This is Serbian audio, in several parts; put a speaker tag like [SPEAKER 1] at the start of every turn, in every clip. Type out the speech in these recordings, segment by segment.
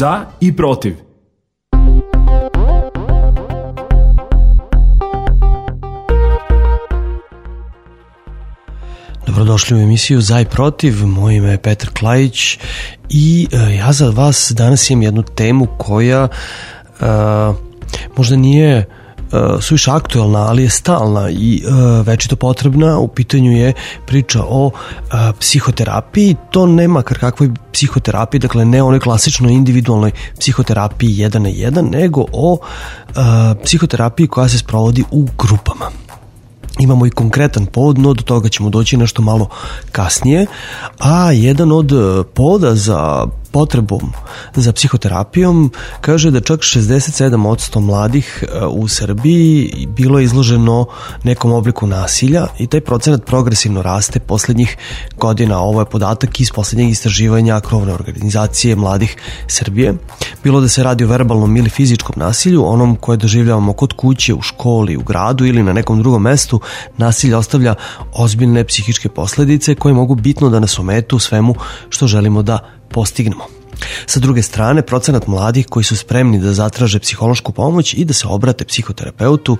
[SPEAKER 1] Za i protiv.
[SPEAKER 2] Dobrodošli u emisiju Za i protiv, moje ime je Petar Klajić i ja za vas danas imam jednu temu koja možda nije suviše aktuelna, ali je stalna i večito potrebna. U pitanju je priča o psihoterapiji. To ne makar kakvoj psihoterapiji, dakle ne onoj klasičnoj individualnoj psihoterapiji 1 na 1, nego o psihoterapiji koja se sprovodi u grupama. Imamo i konkretan povod, no do toga ćemo doći nešto malo kasnije, a jedan od povoda za potrebom za psihoterapijom kaže da čak 67% mladih u Srbiji bilo je izloženo nekom obliku nasilja i taj procenat progresivno raste poslednjih godina. Ovo je podatak iz poslednjeg istraživanja krovne organizacije mladih Srbije. Bilo da se radi o verbalnom ili fizičkom nasilju, onom koje doživljavamo kod kuće, u školi, u gradu ili na nekom drugom mestu, nasilje ostavlja ozbiljne psihičke posledice koje mogu bitno da nas ometu u svemu što želimo da postignemo. Sa druge strane, procenat mladih koji su spremni da zatraže psihološku pomoć i da se obrate psihoterapeutu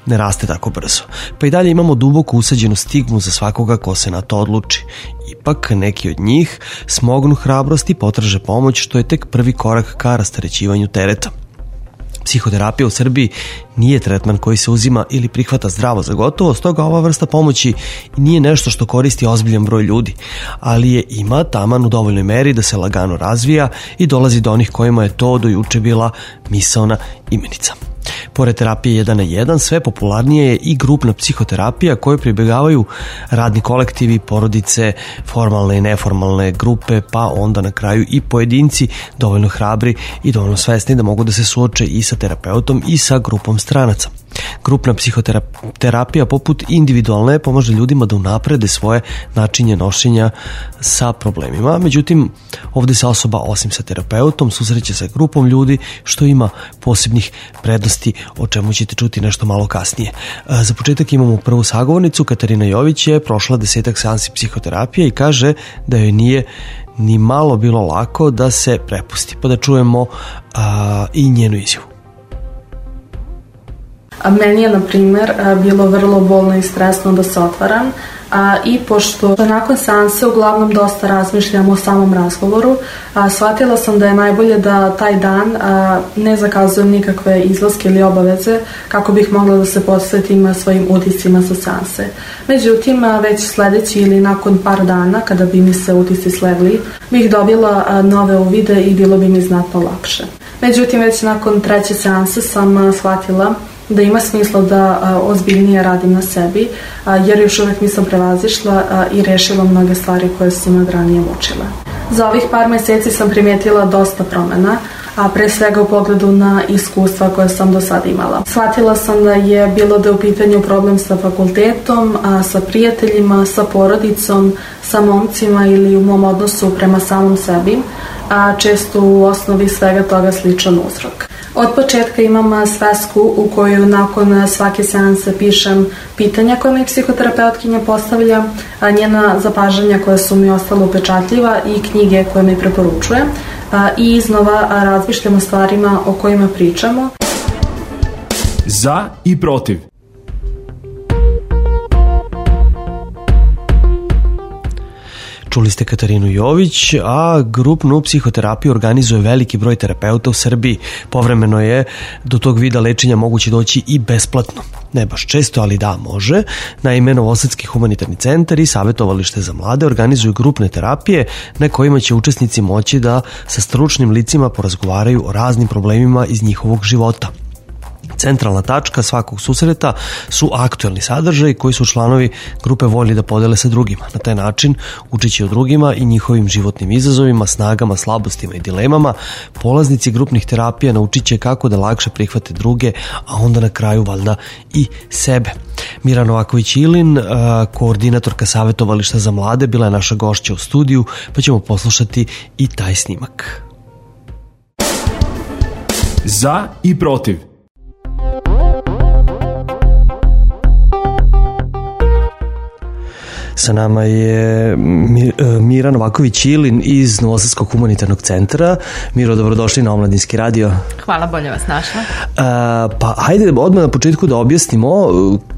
[SPEAKER 2] ne raste tako brzo. Pa i dalje imamo duboko usađenu stigmu za svakoga ko se na to odluči. Ipak neki od njih smognu hrabrost i potraže pomoć, što je tek prvi korak ka rasterećivanju tereta. Psihoterapija u Srbiji nije tretman koji se uzima ili prihvata zdravo za gotovo, stoga ova vrsta pomoći nije nešto što koristi ozbiljan broj ljudi, ali je ima taman u dovoljnoj meri da se lagano razvija i dolazi do onih kojima je to do juče bila misaona imenica. Pored terapije 1 na 1, sve popularnije je i grupna psihoterapija koju pribegavaju radni kolektivi, porodice, formalne i neformalne grupe, pa onda na kraju i pojedinci dovoljno hrabri i dovoljno svesni da mogu da se suoče i sa terapeutom i sa grupom stranaca. Grupna psihoterapija poput individualne pomaže ljudima da unaprede svoje načinje nošenja sa problemima. Međutim, ovde se osoba osim sa terapeutom susreće sa grupom ljudi, što ima posebnih prednosti, o čemu ćete čuti nešto malo kasnije. Za početak imamo prvu sagovornicu. Katarina Jović je prošla 10 seansi psihoterapije i kaže da joj nije ni malo bilo lako da se prepusti. Pa da čujemo i njenu izjavu.
[SPEAKER 3] Meni je, na primjer, bilo vrlo bolno i stresno da se otvaram i pošto nakon seanse uglavnom dosta razmišljam o samom razgovoru, shvatila sam da je najbolje da taj dan ne zakazujem nikakve izlaske ili obaveze kako bih mogla da se posvetim svojim utiscima sa seanse. Međutim, već sledeći ili nakon par dana, kada bi mi se utisci slegli, bih dobila nove uvide i bilo bi mi znatno lakše. Međutim, već nakon treće seanse sam shvatila da ima smisla da ozbiljnije radim na sebi, jer još uvek nisam prevazišla i rešila mnoge stvari koje su me ranije mučile. Za ovih par meseci sam primetila dosta promena, a pre svega u pogledu na iskustva koje sam do sada imala. Shvatila sam da je bilo da je u pitanju problem sa fakultetom, sa prijateljima, sa porodicom, sa momcima ili u mom odnosu prema samom sebi, a često u osnovi svega toga sličan uzrok. Od početka imam svesku u koju nakon svake seanse pišem pitanja koje mi psihoterapeutkinja postavlja, njena zapažanja koja su mi ostala upečatljiva i knjige koje mi preporučuje i iznova razmišljam o stvarima o kojima pričamo.
[SPEAKER 1] Za i protiv.
[SPEAKER 2] Čuli ste Katarinu Jović, a grupnu psihoterapiju organizuje veliki broj terapeuta u Srbiji. Povremeno je do tog vida lečenja moguće doći i besplatno. Ne baš često, ali da, može. Naime, Novosadski humanitarni centar i savjetovalište za mlade organizuju grupne terapije na kojima će učesnici moći da sa stručnim licima porazgovaraju o raznim problemima iz njihovog života. Centralna tačka svakog susreta su aktuelni sadržaji koji su članovi grupe voljni da podele sa drugima. Na taj način, učeći o drugima i njihovim životnim izazovima, snagama, slabostima i dilemama, polaznici grupnih terapija naučit će kako da lakše prihvate druge, a onda na kraju valjda i sebe. Mira Novaković-Ilin, koordinatorka savjetovališta za mlade, bila je naša gošća u studiju, pa ćemo poslušati i taj snimak.
[SPEAKER 1] Za i protiv.
[SPEAKER 2] Sa nama je Mira Novaković-Ilin iz Novosadskog humanitarnog centra. Miro, dobrodošli na Omladinski radio.
[SPEAKER 4] Hvala, bolje vas našla.
[SPEAKER 2] Pa hajde odmah na početku da objasnimo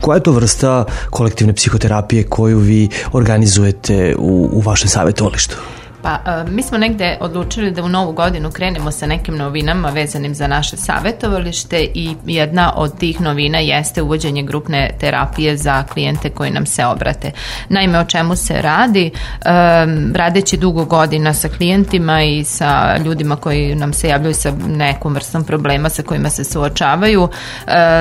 [SPEAKER 2] koja je to vrsta kolektivne psihoterapije koju vi organizujete u vašem savjetovalištu.
[SPEAKER 4] Pa, mi smo negde odlučili da u novu godinu krenemo sa nekim novinama vezanim za naše savjetovalište i jedna od tih novina jeste uvođenje grupne terapije za klijente koji nam se obrate. Naime, o čemu se radi? Radeći dugo godina sa klijentima i sa ljudima koji nam se javljaju sa nekom vrstom problema sa kojima se suočavaju,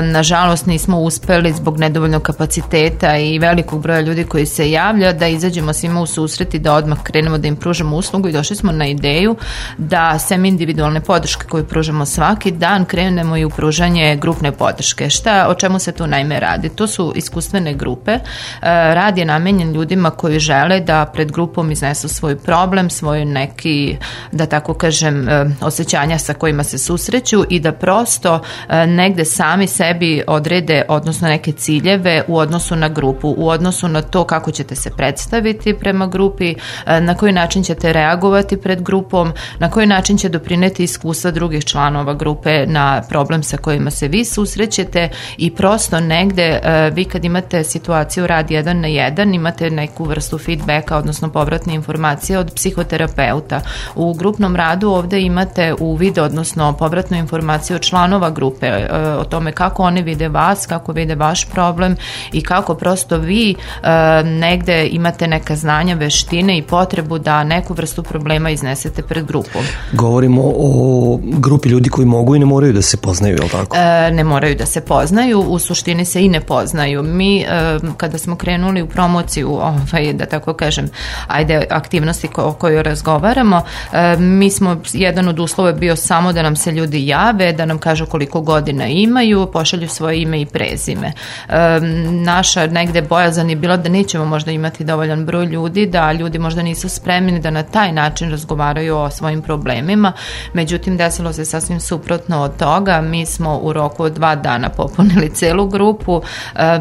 [SPEAKER 4] nažalost nismo uspeli zbog nedovoljnog kapaciteta i velikog broja ljudi koji se javlja da izađemo svima u susret i da odmah krenemo da im pružamo uslugu i došli smo na ideju da sem individualne podrške koju pružamo svaki dan krenemo i u pružanje grupne podrške. O čemu se tu naime radi? To su iskustvene grupe. Rad je namenjen ljudima koji žele da pred grupom iznesu svoj problem, svoj neki, da tako kažem, osjećanja sa kojima se susreću i da prosto negde sami sebi odrede, odnosno neke ciljeve u odnosu na grupu, u odnosu na to kako ćete se predstaviti prema grupi, na koji način ćete reagovati pred grupom, na koji način će doprineti iskustva drugih članova grupe na problem sa kojima se vi susrećete i prosto negde vi kad imate situaciju rad 1 na 1 imate neku vrstu feedbacka, odnosno povratne informacije od psihoterapeuta. U grupnom radu ovde imate uvid, odnosno povratnu informaciju od članova grupe o tome kako oni vide vas, kako vide vaš problem i kako prosto vi negde imate neka znanja, veštine i potrebu da neku vrstu problema iznesete pred grupom.
[SPEAKER 2] Govorimo o grupi ljudi koji mogu i ne moraju da se poznaju, je li tako?
[SPEAKER 4] Ne moraju da se poznaju, u suštini se i ne poznaju. Mi, kada smo krenuli u promociju, da tako kažem, aktivnosti o kojoj razgovaramo, mi smo, jedan od uslova bio samo da nam se ljudi jave, da nam kažu koliko godina imaju, pošalju svoje ime i prezime. Naša negde bojazan je bila da nećemo možda imati dovoljan broj ljudi, da ljudi možda nisu spremni da na taj način razgovaraju o svojim problemima, međutim desilo se sasvim suprotno od toga. Mi smo u roku od 2 dana popunili celu grupu,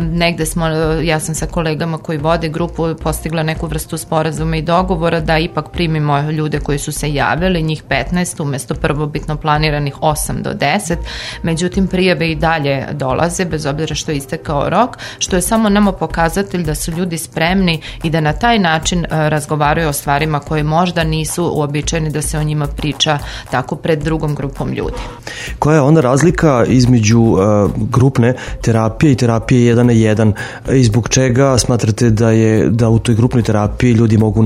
[SPEAKER 4] negde smo, ja sam sa kolegama koji vode grupu postigla neku vrstu sporazuma i dogovora da ipak primimo ljude koji su se javili, njih 15 umesto prvobitno planiranih 8 do 10, međutim prijave i dalje dolaze bez obzira što je istekao rok, što je samo nama pokazatelj da su ljudi spremni i da na taj način razgovaraju o stvarima koje možda nisu uobičajeni da se o njima priča tako pred drugom grupom ljudi.
[SPEAKER 2] Koja je onda razlika između grupne terapije i terapije 1 na 1 i zbog čega smatrate da u toj grupnoj terapiji ljudi mogu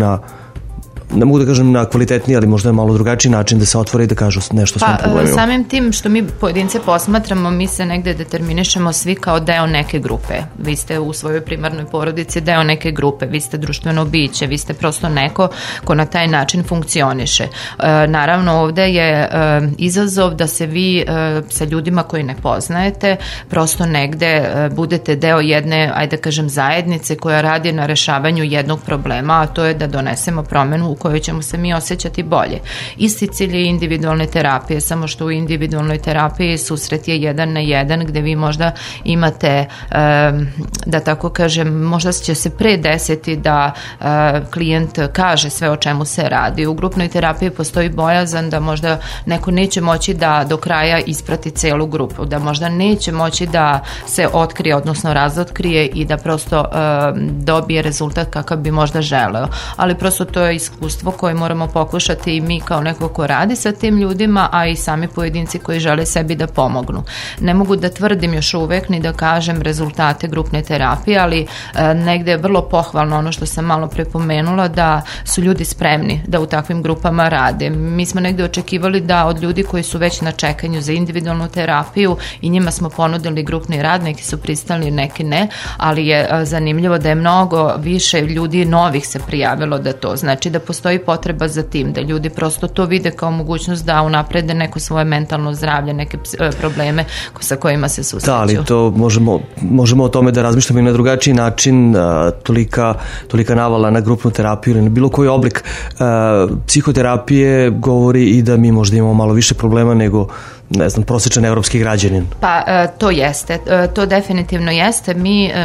[SPEAKER 2] ne mogu da kažem na kvalitetniji, ali možda je malo drugačiji način da se otvore i da kažu nešto o svom problemima.
[SPEAKER 4] Samim tim što mi pojedince posmatramo, mi se negde determinišemo svi kao deo neke grupe. Vi ste u svojoj primarnoj porodici deo neke grupe, vi ste društveno biće, vi ste prosto neko ko na taj način funkcioniše. Naravno, ovde je izazov da se vi sa ljudima koji ne poznajete prosto negde budete deo jedne, ajde kažem, zajednice koja radi na rešavanju jednog problema, a to je da donesemo promenu u kojoj ćemo se mi osjećati bolje. Isti cilj je individualne terapije, samo što u individualnoj terapiji susret je 1 na 1 gde vi možda imate, da tako kažem, možda će se pre desiti da klijent kaže sve o čemu se radi. U grupnoj terapiji postoji bojazan da možda neko neće moći da do kraja isprati celu grupu, da možda neće moći da se otkrije, odnosno razotkrije i da prosto dobije rezultat kakav bi možda želeo. Ali prosto to je iskustvo koje moramo pokušati i mi kao neko ko radi sa tim ljudima, a i sami pojedinci koji žele sebi da pomognu. Ne mogu da tvrdim još uvek ni da kažem rezultate grupne terapije, ali negde je vrlo pohvalno ono što sam malo prepomenula, da su ljudi spremni da u takvim grupama rade. Mi smo negde očekivali da od ljudi koji su već na čekanju za individualnu terapiju i njima smo ponudili grupni rad, neki su pristali, neki ne, ali je zanimljivo da je mnogo više ljudi novih se prijavilo da to. Znači da postoji potreba za tim, da ljudi prosto to vide kao mogućnost da unaprede neko svoje mentalno zdravlje, neke probleme sa kojima se susreću. Da,
[SPEAKER 2] ali to možemo o tome da razmišljamo i na drugačiji način, tolika navala na grupnu terapiju ili na bilo koji oblik psihoterapije govori i da mi možda imamo malo više problema ne znam, prosječan evropski građanin?
[SPEAKER 4] Pa to jeste, to definitivno jeste.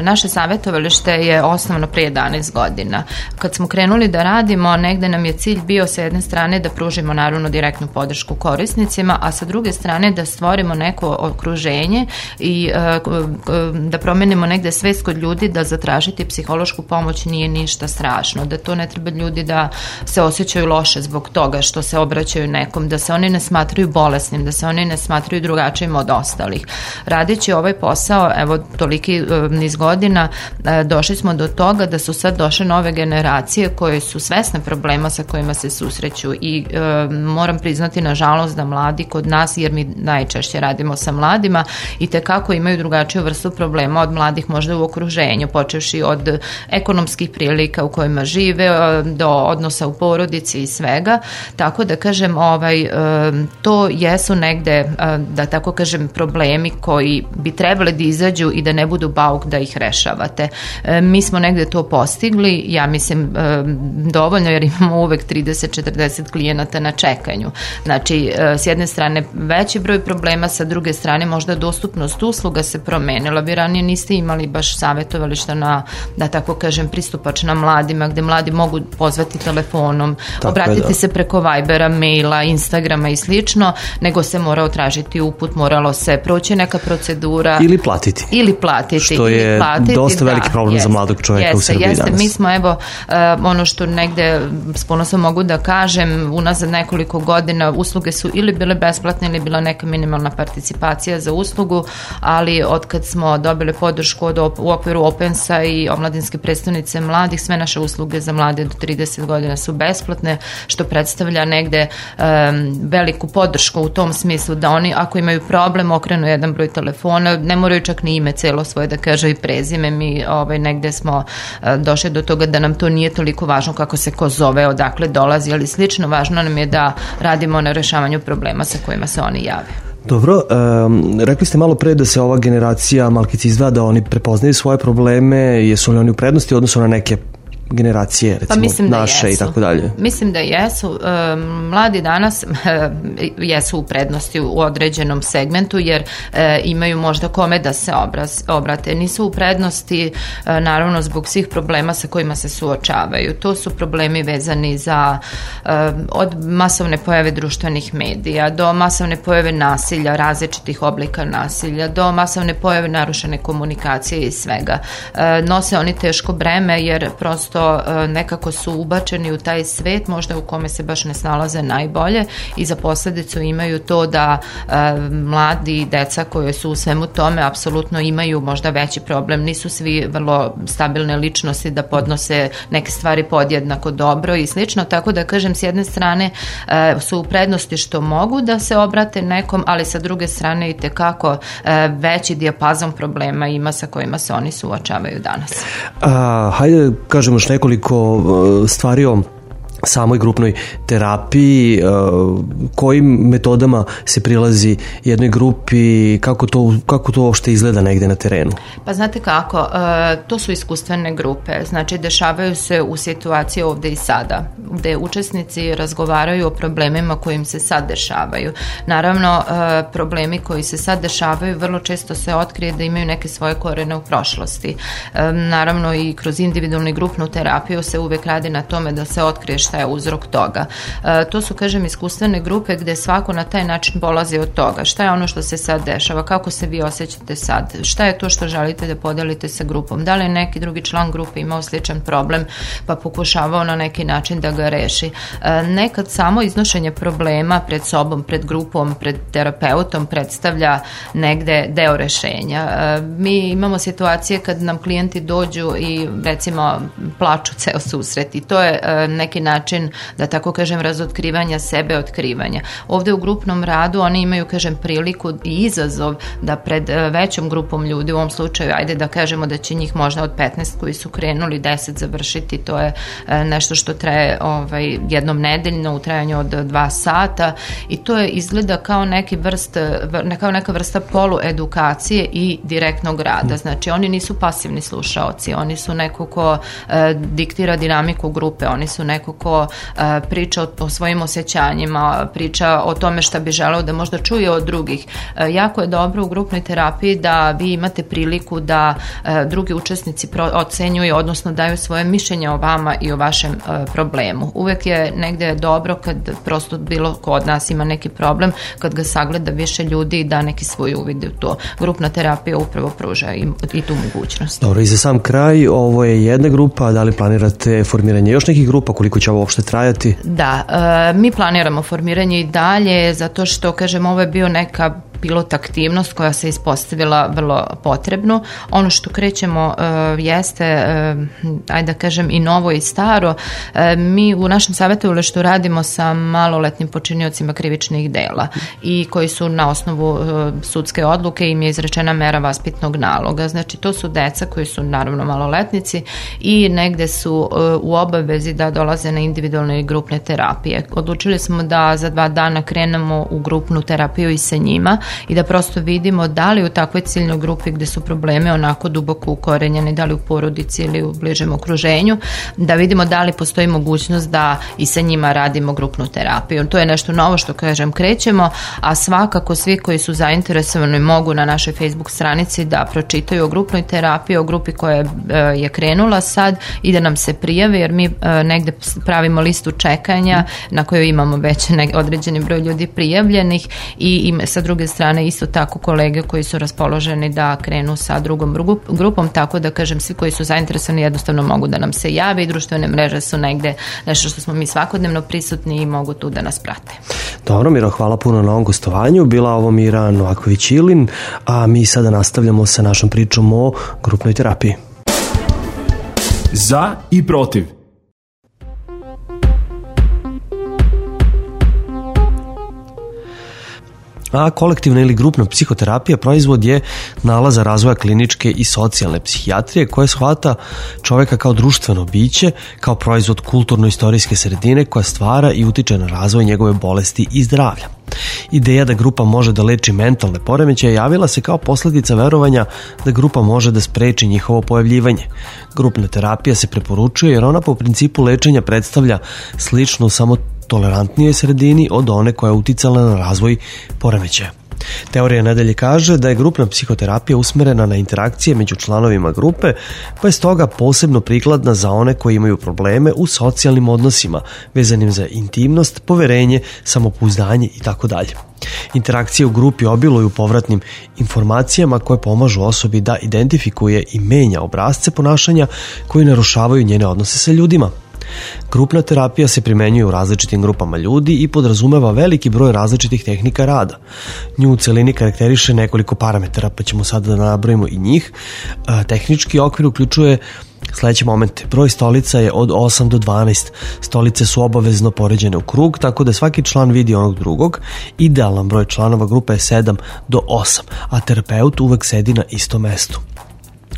[SPEAKER 4] Naše savjetovalište je osnovno prije 11 godina. Kad smo krenuli da radimo, negde nam je cilj bio sa jedne strane da pružimo naravno direktnu podršku korisnicima, a sa druge strane da stvorimo neko okruženje i da promenimo negde svest kod ljudi da zatražiti psihološku pomoć nije ništa strašno, da to ne treba ljudi da se osjećaju loše zbog toga što se obraćaju nekom, da se oni ne smatraju bolesnim, da se oni ne smatraju drugačijim od ostalih. Radeći ovaj posao, evo toliki niz godina, došli smo do toga da su sad došle nove generacije koje su svesne problema sa kojima se susreću i moram priznati nažalost da mladi kod nas, jer mi najčešće radimo sa mladima, i tekako imaju drugačiju vrstu problema od mladih možda u okruženju, počevši od ekonomskih prilika u kojima žive, do odnosa u porodici i svega, tako da kažem to jesu negde, da tako kažem, problemi koji bi trebali da izađu i da ne budu bauk da ih rešavate. Mi smo negde to postigli, ja mislim dovoljno, jer imamo uvek 30-40 klijenata na čekanju. Znači, s jedne strane veći broj problema, sa druge strane možda dostupnost usluga se promenila. Vi ranije niste imali baš savjetovališta na, da tako kažem, pristupačna mladima, gde mladi mogu pozvati telefonom, obratiti se preko Vibera, maila, Instagrama i slično, nego se morao tražiti uput, moralo se proći neka procedura. Ili platiti.
[SPEAKER 2] Što je dosta veliki problem za mladog čovjeka u Srbiji danas.
[SPEAKER 4] Mi smo, evo, ono što negde s ponosom mogu da kažem, unazad nekoliko godina usluge su ili bile besplatne ili bila neka minimalna participacija za uslugu, ali od kad smo dobili podršku u okviru Opensa i omladinske predstavnice mladih, sve naše usluge za mlade do 30 godina su besplatne, što predstavlja negde veliku podršku u tom smislu da oni, ako imaju problem, okrenu jedan broj telefona, ne moraju čak ni ime celo svoje da kaže i prezime. Mi negde smo došli do toga da nam to nije toliko važno kako se ko zove, odakle dolazi, ali slično važno nam je da radimo na rešavanju problema sa kojima se oni jave.
[SPEAKER 2] Dobro, rekli ste malo pre da se ova generacija malkice izdvaja, da oni prepoznaju svoje probleme, jesu li oni u prednosti u odnosu na neke generacije, recimo naše i tako dalje?
[SPEAKER 4] Mislim da jesu. Mladi danas jesu u prednosti u određenom segmentu, jer imaju možda kome da se obrate. Nisu u prednosti naravno zbog svih problema sa kojima se suočavaju. To su problemi vezani za od masovne pojave društvenih medija do masovne pojave nasilja, različitih oblika nasilja, do masovne pojave narušene komunikacije i svega. Nose oni teško breme jer prosto nekako su ubačeni u taj svet možda u kome se baš ne snalaze najbolje i za posledicu imaju to da mladi i deca koje su u svemu tome apsolutno imaju možda veći problem. Nisu svi vrlo stabilne ličnosti da podnose neke stvari podjednako dobro i slično, tako da kažem, s jedne strane su u prednosti što mogu da se obrate nekom, ali sa druge strane i tekako veći dijapazon problema ima sa kojima se oni suočavaju danas.
[SPEAKER 2] Hajde kažemo još nekoliko stvari o samoj grupnoj terapiji, kojim metodama se prilazi jednoj grupi, kako to uopšte izgleda negde na terenu?
[SPEAKER 4] Pa znate kako, to su iskustvene grupe, znači dešavaju se u situaciji ovde i sada, gde učesnici razgovaraju o problemima kojim se sad dešavaju. Naravno, problemi koji se sad dešavaju vrlo često se otkrije da imaju neke svoje korene u prošlosti. Naravno i kroz individualnu i grupnu terapiju se uvek radi na tome da se otkrije šta je uzrok toga. To su, kažem, iskustvene grupe gde svako na taj način polazi od toga. Šta je ono što se sad dešava? Kako se vi osjećate sad? Šta je to što želite da podelite sa grupom? Da li je neki drugi član grupe imao sličan problem pa pokušavao na neki način da ga reši? Nekad samo iznošenje problema pred sobom, pred grupom, pred terapeutom predstavlja negde deo rešenja. Mi imamo situacije kad nam klijenti dođu i recimo plaču ceo susret i to je neki način, da tako kažem, razotkrivanja sebe, otkrivanja. Ovde u grupnom radu oni imaju, kažem, priliku i izazov da pred većom grupom ljudi, u ovom slučaju, ajde da kažemo da će njih možda od 15 koji su krenuli 10 završiti, to je nešto što traje jednom nedeljno u trajanju od 2 sata i to je izgleda kao neka vrsta poluedukacije i direktnog rada. Znači, oni nisu pasivni slušaoci, oni su neko ko diktira dinamiku grupe, oni su neko ko ko priča o svojim osjećanjima, priča o tome šta bi želeo da možda čuje od drugih. Jako je dobro u grupnoj terapiji da vi imate priliku da drugi učesnici ocenjuju, odnosno daju svoje mišljenje o vama i o vašem problemu. Uvek je negde dobro kad prosto bilo ko od nas ima neki problem, kad ga sagleda više ljudi i da neki svoj uvid u to. Grupna terapija upravo pruža i tu mogućnost.
[SPEAKER 2] Dobro, i za sam kraj, ovo je jedna grupa, da li planirate formiranje još nekih grupa, koliko će ovo uopšte trajati?
[SPEAKER 4] Da, mi planiramo formiranje i dalje, zato što, kažem, ovo je bio neka pilot aktivnost koja se ispostavila vrlo potrebno. Ono što krećemo jeste, ajde da kažem, i novo i staro. Mi u našem savjetovalištu radimo sa maloletnim počiniocima krivičnih dela i koji su na osnovu sudske odluke, im je izrečena mera vaspitnog naloga. Znači, to su deca koji su naravno maloletnici i negde su u obavezi da dolaze na individualne i grupne terapije. Odlučili smo da za 2 dana krenemo u grupnu terapiju i sa njima i da prosto vidimo da li u takvoj ciljnoj grupi gde su probleme onako duboko ukorenjeni, da li u porodici ili u bližem okruženju, da vidimo da li postoji mogućnost da i sa njima radimo grupnu terapiju. To je nešto novo što, kažem, krećemo, a svakako svi koji su zainteresovani mogu na našoj Facebook stranici da pročitaju o grupnoj terapiji, o grupi koja je krenula sad i da nam se prijave, jer mi negde pravimo listu čekanja na kojoj imamo već određeni broj ljudi prijavljenih i sa druge strane isto tako kolege koji su raspoloženi da krenu sa drugom grupom, tako da, kažem, svi koji su zainteresovani jednostavno mogu da nam se jave i društvene mreže su negde nešto što smo mi svakodnevno prisutni i mogu tu da nas prate.
[SPEAKER 2] Dobro, Miro, hvala puno na ovom gostovanju. Bila ovo Mira Novaković-Ilin, a mi sada nastavljamo sa našom pričom o grupnoj terapiji.
[SPEAKER 1] Za i protiv.
[SPEAKER 2] A kolektivna ili grupna psihoterapija proizvod je nalaza razvoja kliničke i socijalne psihijatrije koja shvata čoveka kao društveno biće, kao proizvod kulturno-istorijske sredine koja stvara i utiče na razvoj njegove bolesti i zdravlja. Ideja da grupa može da leči mentalne poremećaje javila se kao posledica verovanja da grupa može da spreči njihovo pojavljivanje. Grupna terapija se preporučuje jer ona po principu lečenja predstavlja sličnu samo tolerantnijoj sredini od one koja je uticala na razvoj poremećaja. Teorija nadalje kaže da je grupna psihoterapija usmerena na interakcije među članovima grupe, pa je stoga posebno prikladna za one koji imaju probleme u socijalnim odnosima, vezanim za intimnost, poverenje, samopouzdanje itd. Interakcije u grupi obiluju povratnim informacijama koje pomažu osobi da identifikuje i menja obrasce ponašanja koji narušavaju njene odnose sa ljudima. Grupna terapija se primenjuje u različitim grupama ljudi i podrazumeva veliki broj različitih tehnika rada. Nju u celini karakteriše nekoliko parametara, pa ćemo sada da nabrojimo i njih. Tehnički okvir uključuje sledeće momente. Broj stolica je od 8 do 12. Stolice su obavezno poređene u krug, tako da svaki član vidi onog drugog. Idealan broj članova grupe je 7 do 8, a terapeut uvek sedi na istom mestu.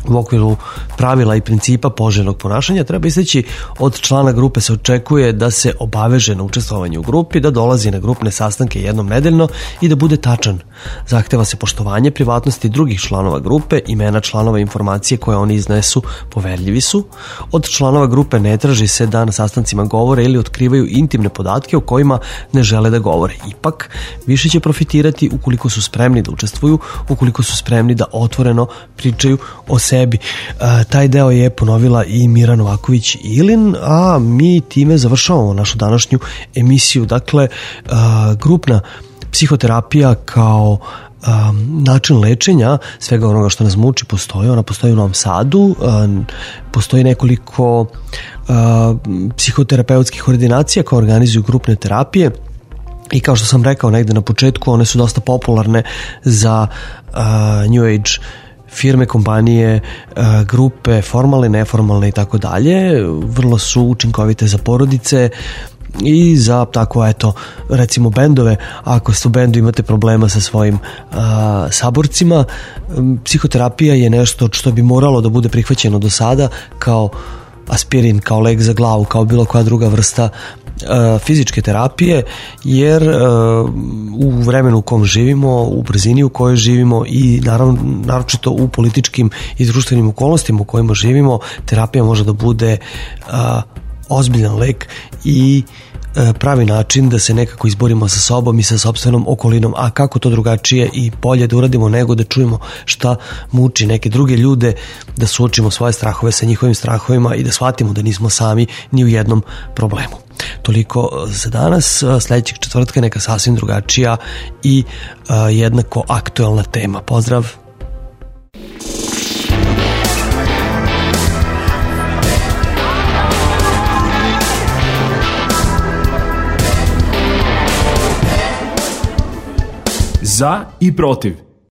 [SPEAKER 2] U okviru pravila i principa poželjnog ponašanja treba isteći od člana grupe se očekuje da se obaveže na učestvovanje u grupi, da dolazi na grupne sastanke jednom nedeljno i da bude tačan. Zahteva se poštovanje privatnosti drugih članova grupe, imena članova, informacije koje oni iznesu poverljivi su. Od članova grupe ne traži se da na sastancima govore ili otkrivaju intimne podatke o kojima ne žele da govore. Ipak, više će profitirati ukoliko su spremni da učestvuju, ukoliko su spremni da otvoreno pričaju o sebi. Taj deo je ponovila i Mira Novaković-Ilin, a mi time završavamo našu današnju emisiju. Dakle, grupna psihoterapija kao način lečenja svega onoga što nas muči postoji. Ona postoji u Novom Sadu, postoji nekoliko psihoterapeutskih ordinacija koje organizuju grupne terapije i kao što sam rekao negde na početku, one su dosta popularne za New Age firme, kompanije, grupe, formalne, neformalne i tako dalje. Vrlo su učinkovite za porodice i za tako, eto, recimo bendove. Ako ste u bendu imate problema sa svojim saborcima, psihoterapija je nešto što bi moralo da bude prihvaćeno do sada kao aspirin, kao lek za glavu, kao bilo koja druga vrsta fizičke terapije, jer u vremenu u kom živimo, u brzini u kojoj živimo i naročito u političkim i društvenim okolnostima u kojima živimo, terapija može da bude ozbiljan lek i pravi način da se nekako izborimo sa sobom i sa sopstvenom okolinom, a kako to drugačije i bolje da uradimo nego da čujemo šta muči neke druge ljude, da suočimo svoje strahove sa njihovim strahovima i da shvatimo da nismo sami ni u jednom problemu. Toliko za danas. Sljedećeg četvrtka neka sasvim drugačija i jednako aktuelna tema. Pozdrav!
[SPEAKER 1] Za i protiv.